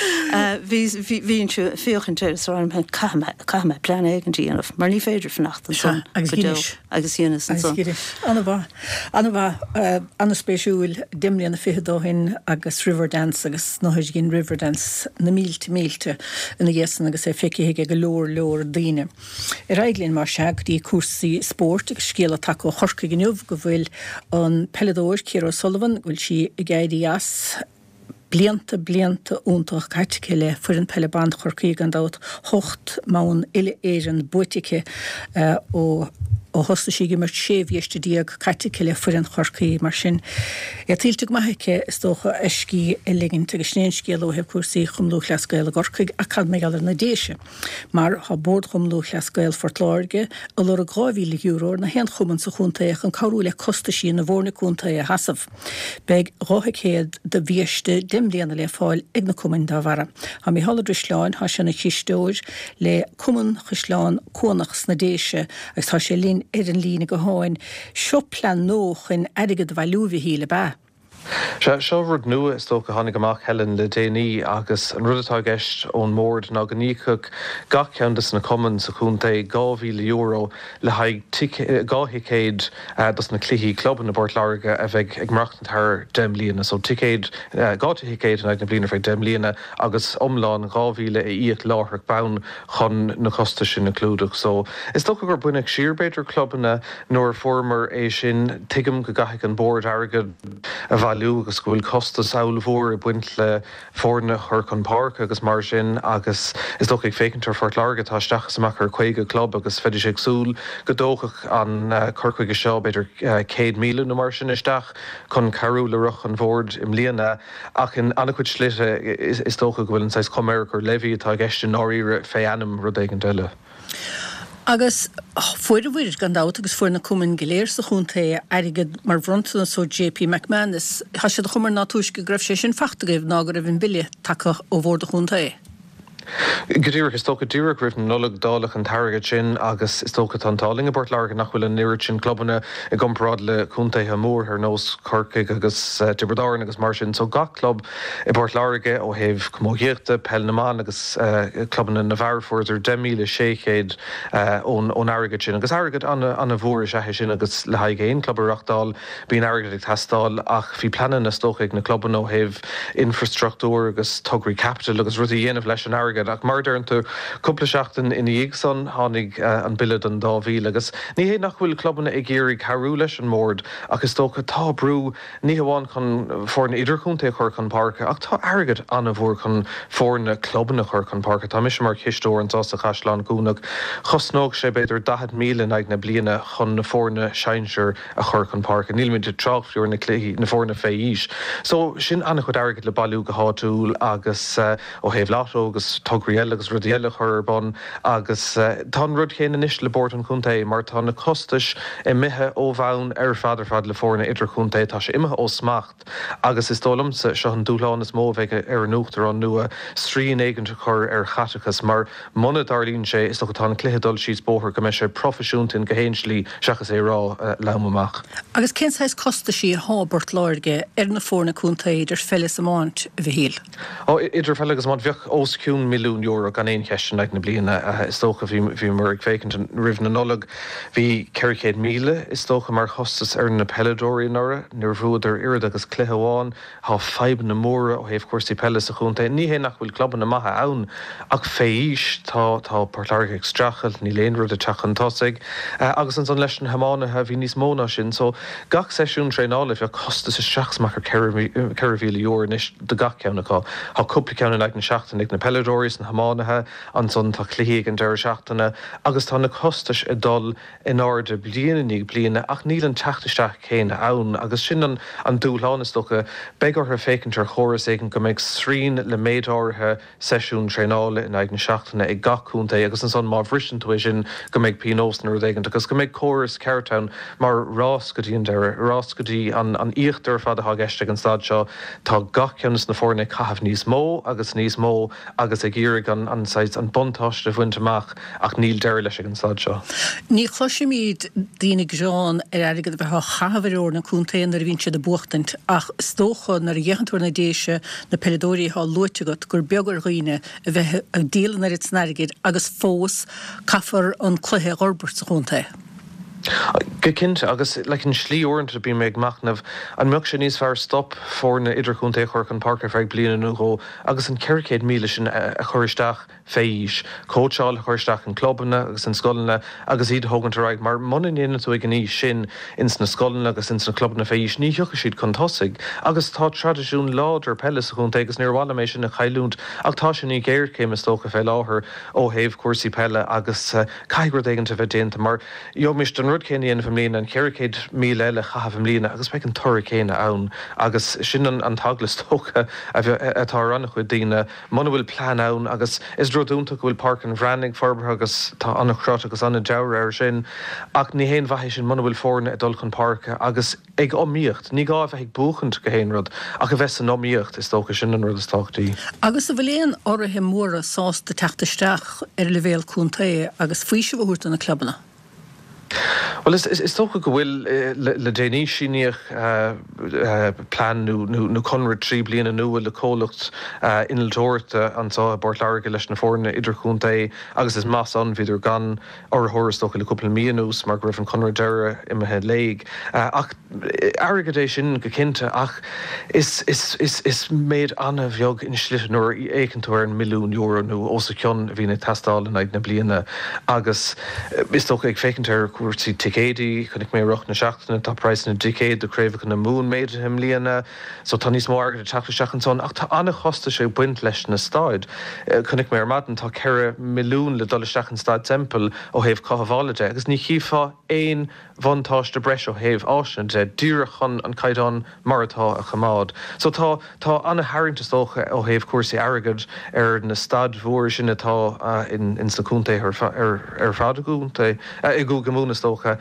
bhí, bhínnse ag féachaint air is a rá liom féin caithfidh mé, caithfidh mé plean éigin a dhéanamh mar ní féidir fanacht ansan Agus go deo. dheinis. Agus dheineas Agus ansan. dheinis. Ana-mhaith. Ana-mhaith. Ana-spéisiúil deich mbliana fichead ó shin agus Riverdance agus na dhein Riverdance na mílte mílte ina dhiaidh san agus é feicthe ag go leor leor daoine. Ar aghaidh linn mar sea go dtí cúrsaí spóirt agus scéala tagtha ó Chorcaigh inniu go bhfuil an peileadóir Ciara O'Sullivan go bhfuil sí ag éirí as. Blianta, blianta iontach caite aici le foireann peile ban Chorcaí gan dabht, hocht mbonn uile-Éireann buaite aici ó ó thosaigh sí ag imirt, sé bhiaiste déag caite aici le foireann Chorcaí. Mar sin, é tuillte go maith aici, is dócha, a scíth a ligint. Agus sin é an scéal ó thaobh cúrsaí Chumann Lúthchleas Gael i gCorcaigh ach cad mar gheall ar na Déise? Mar tá Bord Chumann Lúthchleas Gael Phort Láirge ag lorg dhá mhíle euro ar na haon chumann sa chontae chun cabhrú le costaisí na bhfoirne contae a sheasamh. Beidh dhá thicéad do bhiaiste deich mbliana le fáil ag na cumainn dá bharra. Tá Mícheál Ó Drisleáin, tá sé ina chisteoir le Cumann Chaisleán Cuanach sna Déise agus tá sé linn ar an líne gutháin. Seo plean nua chun airgead a bhailiú, a Mhichíl, ab ea? Sea, seo rud nua is dócha a tháinig amach, Helen, le déanaí agus an rud atá i gceist ón mbord ná go n-íocfadh gach ceann de na cumainn sa chontae dhá mhíle euro le haghaidh dhá thicéad dos na cluichí clubanna i bPort Láirge a bheidh ag maireachtaint thar deich mbliana. So ticéad, dhá thicéad in aghaidh na bliana ar feadh deich mbliana agus iomlán dhá mhíle a íoc láithreach bonn chun na costais sin a chlúdach. So is dócha gur baineadh siar b'fhéidir clubanna nuair a fuaireamar é sin. Tuigim go gcaithfidh an bord airgead a bhailiú agus go bhfuil costas ollmhór ag baint le foirne a chur chun páirce agus mar sin agus is dócha ag féachaint ar Phort Láirge tá isteach is amach ar caoga club agus bheidís ag súil go dtógfadh an cur chuige seo b'fhéidir céad míle nó mar sin isteach chun cabhrú le roth an bhoird i mbliana ach in an-chuid slite is dócha go bhfuil an saghas cuma air gur levy atá i gceist i ndáiríre fé ainm rud éigin eile. Agus fuaireabhair, gan dabht, agus fuair na cumainn go léir sa chontae airgead mar bhronntanas ó JP McManus. Tá sé de chuma air ná túisce go raibh sé sin fachta agaibh ná go raibh an bille tagtha ó bhord an chontae. Go díreach, is dócha díreach roimh na Nollag dáileadh an t-airgead sin agus is dócha tá an t-ádh linn i bPort Láirge nach bhfuil an oiread sin clubanna i gcomparáid le contaetha mór ar nós Corcaigh agus Tiobraid Árann agus mar sin. So gach club i bPort Láirge ó thaobh camógaíochta, peil na mban agus clubanna na bhfear fuaireadar deich míle sé chéad ón ón airgead sin agus airgead an-mhór is ea é sin agus le haghaidh aon club a reachtáil bíonn airgead ag teastáil ach bhí pleananna is dócha ag na clubanna ó thaobh infrastruchtúr agus tograí caipitil agus rudaí a dhéanamh leis an airgead ach mar a deireann tú cúpla seachtain ina dhiaidh san tháinig an bille don dá mhíle agus ní hé nach bhfuil clubanna ag iarraidh cabhrú leis an mbord ach is dócha tá brú ní hamháin chun foirne idirchontae a chur chun páirce ach tá airgead an-mhór chun foirne clubanna a chur chun páirce. Tá mise mar chisteoir anseo sa Chaisleán Cuanach. Chosnódh sé b'fhéidir daichead míle in aghaidh na bliana chun na foirne sinsir a chur chun páirce. Nílimid ag trácht fiú ar na cluichí, na foirne fé aois. So sin an-chuid airgid le bailiú go háitiúil agus ó thaobh lotto agus tograí eile agus rudaí eile a chur ar bun agus tá an rud céanna anois le Bord an Chontae mar tá na costais imithe ó bhonn ar fad ar fad le foirne idirchontae, tá sé imithe ó smacht agus is dóigh liomsa seo an dúshlán is mó a bheidh ar an Uachtarán nua, srian éigint a chur ar chaiteachas mar muna dtarlaíonn sé is dócha tá an cluiche ag dul síos bóthar go mbeidh sé proifisiúnta in gach aon slí seachas é a rá lom amach. Agus cén saghas costaisí atá i bPort Láirge ar na foirne contae idir pheil is iomáint, a Mhichíl? Ó, idir pheil agus iomáint bheadh os cionn milliún euro gan aon cheist in aghaidh na bliana. Is dócha, bhíomar ag féachaint roimh na Nollag, bhí ceithre chéad míle is dócha mar chostas ar na peileadóirí anuraidh. Níor bhuadar oiread agus cluiche amháin. Tá fadhbanna móra ó thaobh cúrsaí peile sa chontae. Ní hé nach bhfuil clubanna maithe ann ach fé aois tá tá Port Láirge ag streachailt, níl aon rud ag teacht chun tosaigh. Agus ansan leis na hiománaithe bhí níos mó ná sin. So gach seisiún traenála bheadh costas isteach is amach ar ceithre mhíle euro anois do gach ceann acu. Tá cúpla ceann in aghaidh na seachtaine ag na peileadóirí is na hiománaithe, ansan tá cluichí ag an deireadh seachtaine agus tá na costais ag dul in airde bliain i ndiaidh bliana ach níl an teacht isteach céanna ann agus sin an an dúshlán is dócha. Beidh orthu féachaint ar chóras éigin go mbeidh srian le méid áirithe seisiún traenála in aghaidh na seachtaine ag gach contae agus ansan má bhriseann tú é sin go mbeidh pionós nó rud éigin agus go mbeidh córas ceart ann mar rás go dtí an deireadh, rás go dtí an an íochtar ar fad atá i gceist ag an staid seo. Tá gach ceann de na foirne ag caitheamh níos mó agus níos mó agus ag iarraidh an an saghas an buntáiste a bhaint amach ach níl deireadh leis ag an staid seo. Ní chloisimid daoine ag gearán ar airgead a bheith á chaitheamh ar fhoirne contae nuair a bhíonn siad ag buachtaint ach is dócha nuair a fhéachann tú ar na Déise, na peileadóirí atá luaite agat, gur beag ar dhaoine a bheith ag díol an oiread san airgid agus fós caithfear an cluiche a fhorbairt sa chontae. Go cinnte, agus like an slí uaireanta bím ag machnamh an mbeadh sé níos fearr stop foirne idirchontae a chur chun páirce ar feadh bliana nó dhó agus an ceithre chéad míle sin a chur isteach fé aois, cóitseáil a chur isteach in clubanna agus in scoileanna agus iad a thógaint ar aghaidh mar muna ndéanann tú ag an aois sin ins na scoileanna agus ins na clubanna fé aois ní thiocfaidh siad chun tosaigh agus tá traidisiún láidir peile sa chontae agus níor mhaith liom é sin a chailliúint ach tá sé i ngéarchéim is dócha fé láthair ó thaobh cúrsaí peile agus caithfidh rud éigin a bheith déanta mar gheobhaimis an rud céanna a dhéanamh i mbliana, an ceithre chéad míle eile a chaitheamh i mbliana agus beidh an toradh céanna ann agus sin an t-eagla is dócha atá ar an-chuid daoine muna bhfuil plean ann agus is rud iontach go bhfuil Páirc an Bhreathnaigh forbartha agus tá an-chrot agus an-dealramh air sin ach ní haon mhaith é sin muna bhfuil foirne ag dul chun páirce agus ag iomaíocht. Ní gá a bheith ag buachaint go haon rud ach a bheith san iomaíocht, is dócha, sin an rud is tábhachtaí. Agus an bhfuil aon urraithe móra sásta teacht isteach ar leibhéal contae agus faoiseamh a thabhairt do na clubanna? Bhuel, is dócha go bhfuil. Le déanaí síníodh plean nó conradh trí bliana nua le comhlacht innealtóireachta anseo i bPort Láirge leis na foirne idirchontae agus is maith san, bhíodar gan urraitheoir is dócha le cúpla mí anuas mar go raibh an conradh deiridh imithe i léig. Ach airgead é sin go cinnte ach is is méid an-bheag ina shlite nuair a fhéachann tú ar an milliún euro nó os a chionn a bhíonn ag teastáil in aghaidh na bliana agus is dócha ag féachaint ar chúrsaí ticéidí, chonaic mé i rith na seachtaine tá praghas na dticéad do chraobhacha na Mumhan méadaithe i mbliana so tá níos mó airgid ag teacht isteach ansan ach tá an-chostais ag baint leis na staid. Chonaic mé ar maidin tá ceithre milliún le dul isteach in Staid Semple ó thaobh cothabhála de agus ní chífeá aon bhuntáiste breise ó thaobh áiseanna de, díreach chun an caighdeán mar atá a choimeád. So tá, tá an-tharraingt is dócha ó thaobh cúrsaí airgid ar na staid mhóra sin atá in, ins na contaetha ar, ar fad i gcontae, i gCúige Mumhan is dócha.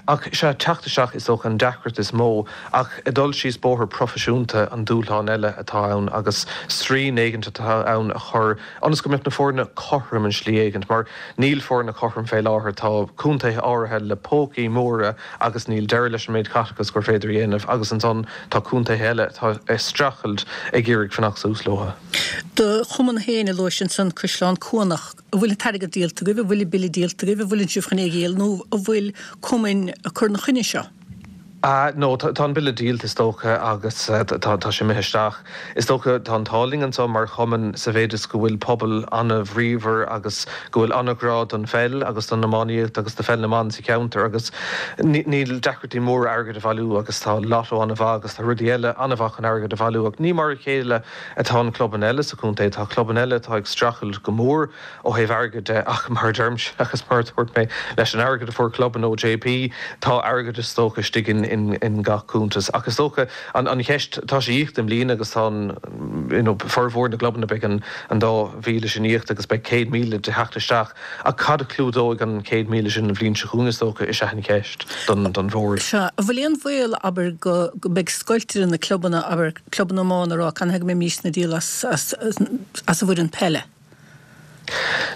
Ach sea, teacht isteach is dócha an deacracht is mó ach ag dul síos bóthar proifisiúnta an dúshlán eile atá ann agus srian éigint atá ann a chur ionas go mbeadh na foirne cothrom in slí éigint mar níl foirne cothrom fé láthair, tá contaetha áirithe le pócaí móra agus níl deireadh leis an méid caiteachais gur féidir a dhéanamh agus ansan tá contaetha eile atá ag streachailt ag iarraidh fanacht suas leo. Do chumann féin a luais ansan, Caisleán Cuanach, an bhfuil an t-airgead díolta agaibh, an bhfuil an bille díolta agaibh, an bhfuileann sibh chun é a dhíol nó an bhfuil cumainn ag cur ina choinne seo? Ah no, tá an bille díolta is dócha agus tá sé imithe isteach. Is dócha tá an t-ádh linn anseo mar chumann sa mhéid is go bhfuil pobal an-bhríomhar agus go bhfuil an-ghrá don pheil agus don iománaíocht agus do pheil na mban sa cheantar agus níl deacrachtaí móra airgead a bhailiú agus tá lotto an-mhaith agus tá rudaí eile an-mhaith chun airgead a bhailiú ach ní mar a chéile atá na clubanna eile sa chontae. Tá clubanna eile atá ag streachailt go mór ó thaobh airgid de ach mar a deirimse agus mar a dúirt mé leis an airgead a fuair clubanna ó JP tá airgead is dócha istigh in in gach cuntas ach is dócha an an cheist tá sé íoctha i mbliana agus tá an you know formhór na gclubanna beidh an an dá mhíle sin íoctha agus beidh céad míle de theacht isteach ach cad a chlúdóidh an céad míle sin an bhliain seo chugainn is dócha is ea an cheist don don bhord. Sea, an bhfuil aon bhaol abair go go mbeidh scoilt idir na clubanna abair clubanna iomána a rá canathaobh go mbeimisne ag díol as as as an bhfoireann peile?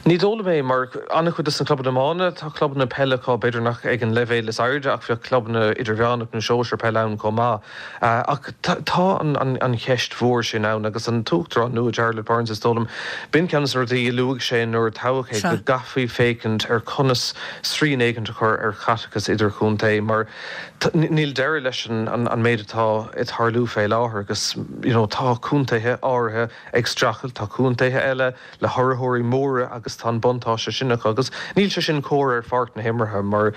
Ní dóigh liom é, mar an-chuid de na clubanna iomána, tá clubanna peile acu, b'fhéidir nach ag an leibhéal is airde ach bheadh clubanna idirmheánach nó sóisear peile ann chomh maith. Ach tá an cheist mhór sin ann agus an tUachtarán nua, Jarlath Burns, is dóigh liom, b'in ceann de na rudaí a luaigh sé nuair a toghadh é, go gcaithfí féachaint ar conas srian éigint a chur ar chaiteachas idirchontae mar níl deireadh leis an méid atá ag tarlú fé láthair agus you know tá contaetha áirithe ag streachailt, tá contaetha eile le hurraitheoirí móra agus tá an buntáiste sin acu agus níl sé sin cóir ar pháirc na himeartha mar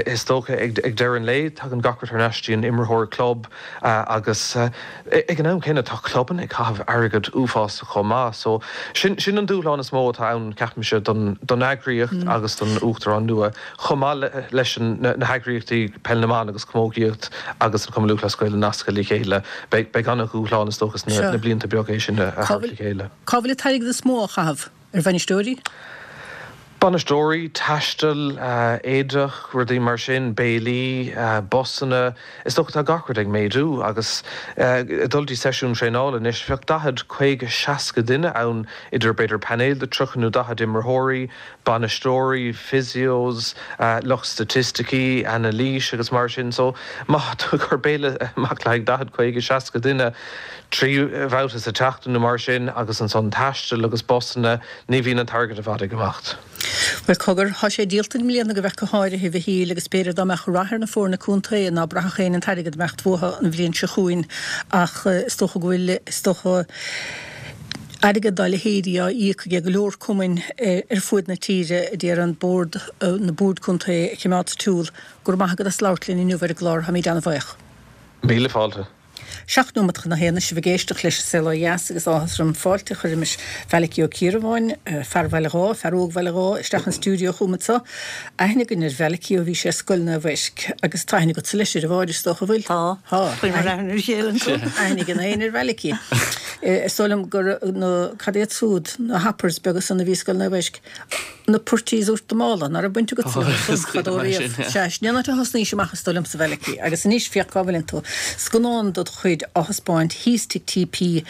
is dócha ag deireadh an lae tagann gach rud thar n-ais dtí an imreoir club agus ag an am céanna tá clubanna ag caitheamh airgead uafásach chomh maith so sin sin an dúshlán is mó atá ann ceapaimse don don eagraíocht agus don uachtarán nua chomh maith leis na heagraíochtaí peil na mban agus camógaíocht agus an Cumann Lúthchleas Gael a nascadh le chéile. Beidh beidh an-dhúshlán is dócha sna blianta beaga é sin a thabhairt le chéile. Cá bhfuil an t-airgead is mó á chaitheamh? Ar bhainisteoirí? Bainisteoirí, taisteal, éadach, rudaí mar sin, béilí, busanna, is dócha tá gach rud ag méadú agus ag dul dtí seisiún traenála anois bheadh daichead, caoga, seasca duine ann idir b'fhéidir painéal de tríocha nó daichead imreoirí, bainisteoirí, physios, lucht staitisticí, anailís agus mar sin. So má tá tú ag cur béile amach le haghaidh daichead, caoga, seasca duine, trí bhabhta sa tseachtain nó mar sin agus ansan taisteal agus busanna, ní bhíonn an t-airgead i bhfad ag imeacht. Bhuel, cogar, tá sé díolta i mbliana go bheith go háirithe, a Mhichíl, agus b'fhéidir dá mbeadh rath ar na foirne contae ná braithfeadh éinne an t-airgead ag imeacht uathu an bhliain seo chugainn ach is dócha go bhfuil, is dócha, airgead dá leithéidí á íoc ag go leor cumainn ar fuaid na tíre, a d'iarraidh an bord, na boird contae a choimeád sa tsiúl. Go raibh maith agat as labhairt linn inniu ar an gclár, táimid an-bhuíoch. Míle fáilte. Seacht nóiméad chun a haon sibh ag éisteacht leis An Saol Ó Dheas agus áthas orm fáilte a chur roimis Mhalachy Ó Ciardhubháin, fear Bhaile Dháith, fear óg Bhaile Dháith, isteach an stiúideo chugam anseo. Aithne againn ar Mhalachy ó bhí sé ar Scoil Naomh Eisc agus tá aithne agatsa leis ar a Mháire, is dócha, an bhfuil? Tá. Tá. Chuireamar aithne ar a chéile ansan. Aithne ag an éinne ar Mhalachy. Is dóigh liom gur na, cad iad súd, na hoppers beaga san a bhí i Scoil Naomh Eisc. Na purties uait do mhála, ná raibh baint agatsa leo san fadó riamh. Sea, sin é an áit a thosnaís amach is dóigh liomsa, a Mhalachy. Agus anois féach cá bhfuileann tú. Scannán dod chuid á thaispeáint thíos Tigh TP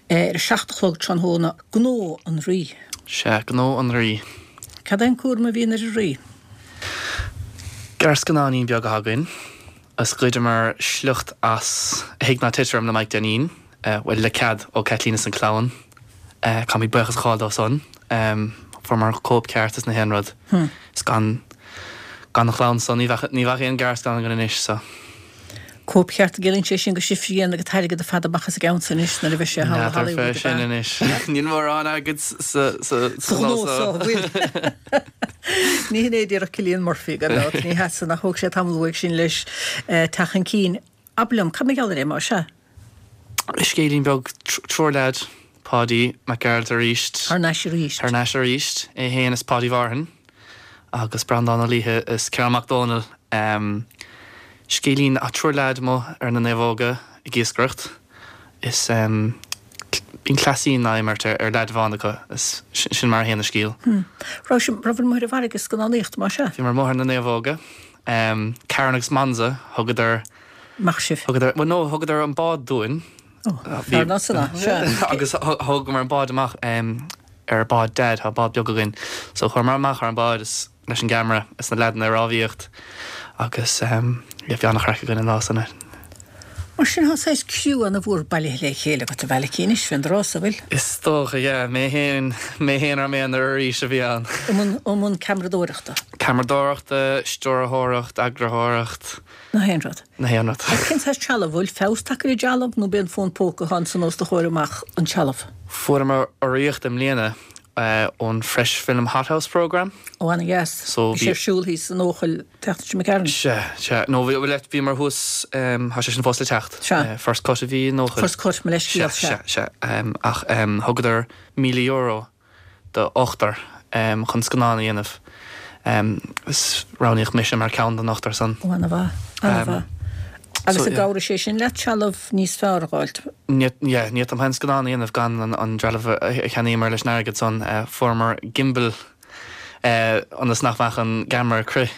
ar a seacht a chlog tráthnóna, Gnó an Rí. Sea, Gnó an Rí. Cad é an cúram a bhíonn ar an Rí? Gearrscannáinín beag atá againn. Is ghoideamar sliocht as A Thig Ná Tit Orm le Mike Denneen, bhuel, le cead ó Caitlín is an clann. Caithfimid buíochas a ghabháil dó san. Fuaireamar cóip ceart is na haon rud. Is gan gan an chlann san ní bheadh ní bheadh aon gearrscannán againn anois so. Cóip cheart an gciallaíonn sé sin go sibhse a dhéanfaidh an t-airgead ar fad amach as an gceann san anois nuair a bheidh sé thall i N'fheadar fé Hollywood ab sin ea? anois. Níl mórán airgid sa sa Sa sa ghnó ghnó so, so. an bhfuil? Ní hin é a déarfadh Cillian Murphy gan dabht. Ní hea san ach thóg sé tamall uaidh sin leis teacht chun cinn. Abair liom, cad mar gheall air é, más ea? Scéilín beag, triúr leaid, Páidí Mac Gearailt arís. Thar n-ais arís. Thar n-ais arís. É fhéin is Páidí Mhárthain agus Breandán Ó Laoithe is Ciarán Mac Dónaill. Scéilín, triúr leaid amuigh ar na naomhóga ag iascaireacht is bíonn cleasín á imirt ar leaid amháin acu is sin mar a théann an scéal. Raibh sibh, raibh amuigh ar an bhfarraige ag scannánaíocht, más ea? Bhíomar amuigh ar na naomhóga. Karen agus Monza, thugadar. Amach sibh. Thugadar, bhuel no, thugadar an bád dúinn. Ó, fearr ná san, sea. Agus thógamar an bád amach ar bád Dad, tá bád beag againn. So chuamar amach ar an bád is leis an gceamara is na leaideanna ag rámhaíocht agus yeah, bhí an-chraic againn an lá san. Mar sin tá saghas criú ana-mhór bailithe le chéile agat a Mhalachy anois fén dtráth so, bhfuil? Is dócha, yeah. Mé fhéin, mé fhéin ar m'aonar arís a bhí ann. I mbun, i mbun ceamaradóireachta? Ceamaradóireachta, stiúrthóireacht, eagraitheoireacht. Na haon rud. Na haon rud. Agus cén saghas trealamh? Bhfuil feabhas tagtha ar an dtrealamh nó b'é an fón póca atá ansan os do chomhair amach an trealamh? Fuaireamar urraíocht i mbliana ón Fresh Film Hothouse Programme. Ó ana-dheas. So Bhí sé ar siúl thíos in Eochaill an tseachtain seo imigh tharainn. Sea, sea. No bhí, bhuel bhíomar thuas, tá sé sin fós le teacht. Sea. First Cut a bhí in Eochaill. First Cut, mo leithscéal, Sea, sea. sea, sea. Ach thugadar míle euro do ochtar chun scannán a dhéanamh. Is roghnaíodh mise mar ceann den ochtar san. Ó, ana-mhaith, ana-mhaith. Agus an gcabhróidh sé sin leat trealamh níos fearr a dh'fháilt? Ní, yeah, ní fhéadfainn aon scannán a dhéanamh gan an trealamh a cheannaíomar leis an airgead san. Fuaireamar gimbal ionas nach mbeadh an gceamara ag crith.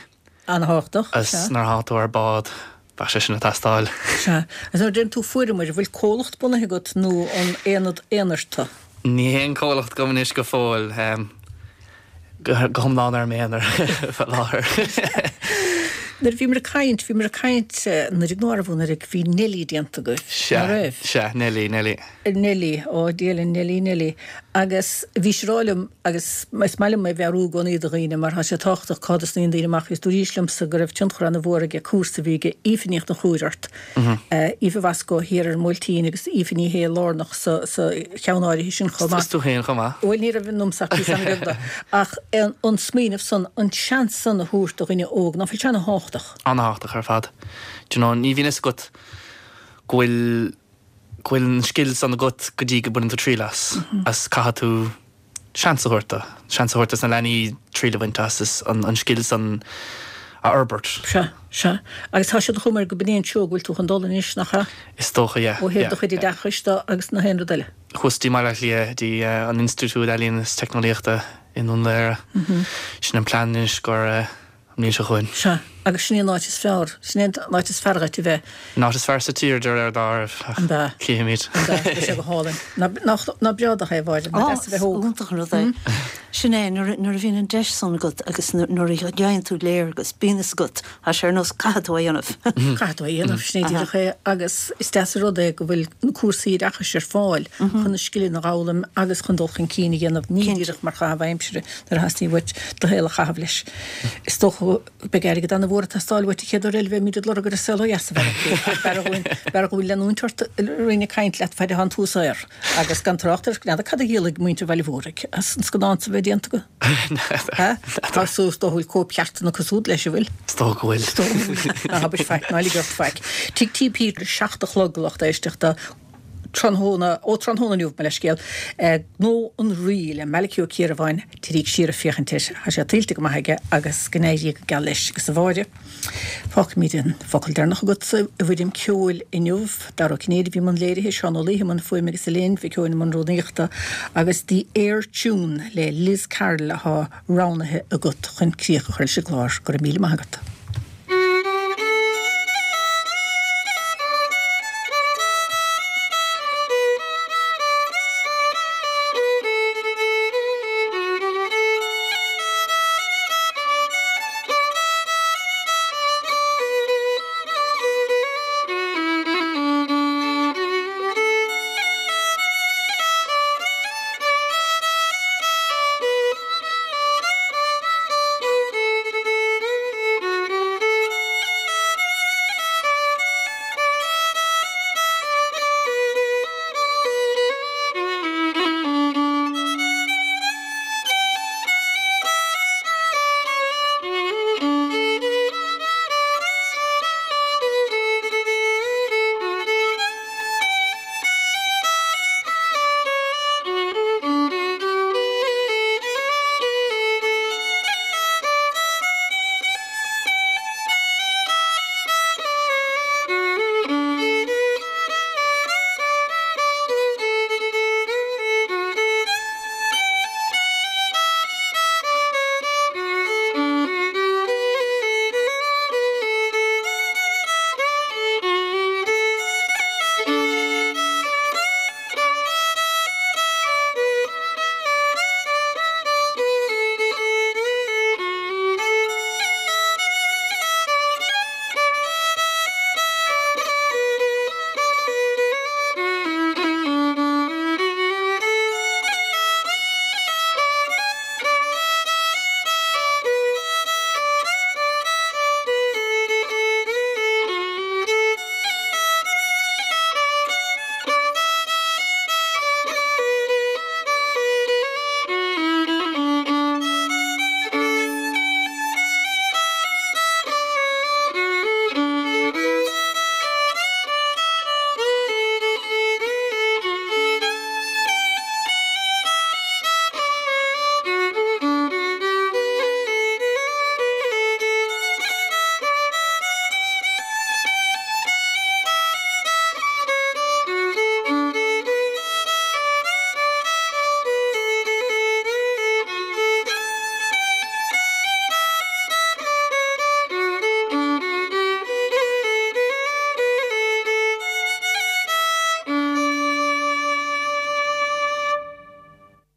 Ana-thábhachtach, Agus sea. nuair atá tú ar bád, bheadh sé sin ag teastáil. Sea. Agus nuair a deireann tú fuaireamar, an bhfuil comhlacht bunaithe agat nó an aonad aonair tú? Ní haon comhlacht agam anois go fóill. go hiomlán ar m'aonar fá láthair. Nuair a bhíomar ag caint, bhíomar ag caint anuraidh nó arbh anuraidh, bhí Neilí déanta agaibh, Sea, ná raibh? sea, Neilí, Neilí. Neilí, ó Dia linn, Neilí, Neilí. Agus bhí sé rá liom, agus is maith liom é a mheabhrú i gcónaí do dhaoine mar tá sé tábhachtach cá dtosnaíonn daoine amach, agus dúraís liomsa go raibh tionchar ana-mhór aige cúrsa a bhí ag Aoife Ní Chonchúir ort, Aoife Mhoscó thiar ar an mBuailtín agus Aoife Ní Shé lárnach sa sa cheann áirithe sin chomh maith. Is tú féin chomh maith. Bhuel ní raibh ionamsa ach píosa an-bheag de. Ach an smaoineamh san, an seans san a thabhairt do dhuine óg, ná fuil sé ana-thábhachtach? Ana-thábhachtach ar fad. Do you know, ní bhíonn fhios agat go bhfuil go bhfuil an scil san agat go dtí go mbaineann tú triail as. As caithfidh tú seans a thabhairt dó. Seans a thabhairt dos na leanaí triail a bhaint as is an an scil san a fhorbairt. Sea, sea. Agus tá sé de chuma air go b'in é an treo go bhfuil tú chun dul anois, nach ea? Is dócha, yeah, Ó thaobh yeah, do chuid yeah. oideachais de agus na haon rud eile. Thuas dtí mBaile Átha Cliath, dtí an Institiúid Ealaíon is Teicneolaíochta i nDún Laoghaire. Sin an plean anois gur an mbliain seo chugainn. Sea, agus sin é an áit is fearr, sin é an áit is fearr dhuit a bheith. An áit is fearr sa tír de réir dealraimh, ach An ea? cífimid. An ea? Tá sé go hálainn. Ná, nach, ná breá do thaobh áirithe, nach Á, deas a bheith óg. iontach an rud é. Sin é, nuair, nuair a bhíonn an deis san agat agus nuair a gheibheann tú léargas, bíonn fhios agat, tá sé ar nós caithfidh tú é a dhéanamh. Caithfidh tú é a dhéanamh, sin é díreach é. Agus is deas an rud é go bhfuil na cúrsaí oideachais ar fáil chun na scileanna a fhoghlaim agus chun dul chun cinn a dhéanamh, ní díreach mar chaitheamh aimsire nuair a theastaíonn uait do shaol a chaitheamh leis. Is dócha go mbeidh airgead an-mhór ag teastáil uait an chéad uair eile a bheimid ag lorg ar an saol ó dheas a Mhalachy ach b'fhearr dhúinn, b'fhearr dhúinn leanúint ort ag caint leat faid atá an tú saor agus gan trácht ar, n'fheadar cad a dhíolfaidh muintir Bhaile Mhóraigh as an scannán so a bheith déanta acu? Ha? Tá suas dó bhfuil cóipcheartanna cosúil leis an bhfuil? Is dócha go bhfuil. Is dócha go bhfuil. Ná habair faic, ná lig ort faic. Tigh T P a seacht a chlog lucht éisteachta tráthnóna, ó tráthnóna inniu, mo leithscéal, Gnó an Rí le Malachy Ó Ciarabháin, téiríg siar ag féachaint air, tá sé tuillte go maith aige agus go n-éirí go geal leis agus a Mháire. Fágfaimid an focal deireanach agatsa i bhfoirm ceoil inniu. Dara Ó Cinnéide a bhí i mbun léirithe, Seán Ó Laoithe i mbun fuaime agus Elaine Mhic Eoin i mbun rúnaíochta agus The Ayr Tune le Liz Carroll atá roghnaithe agat chun críoch a chur leis an gclár. Go raibh míle maith agat.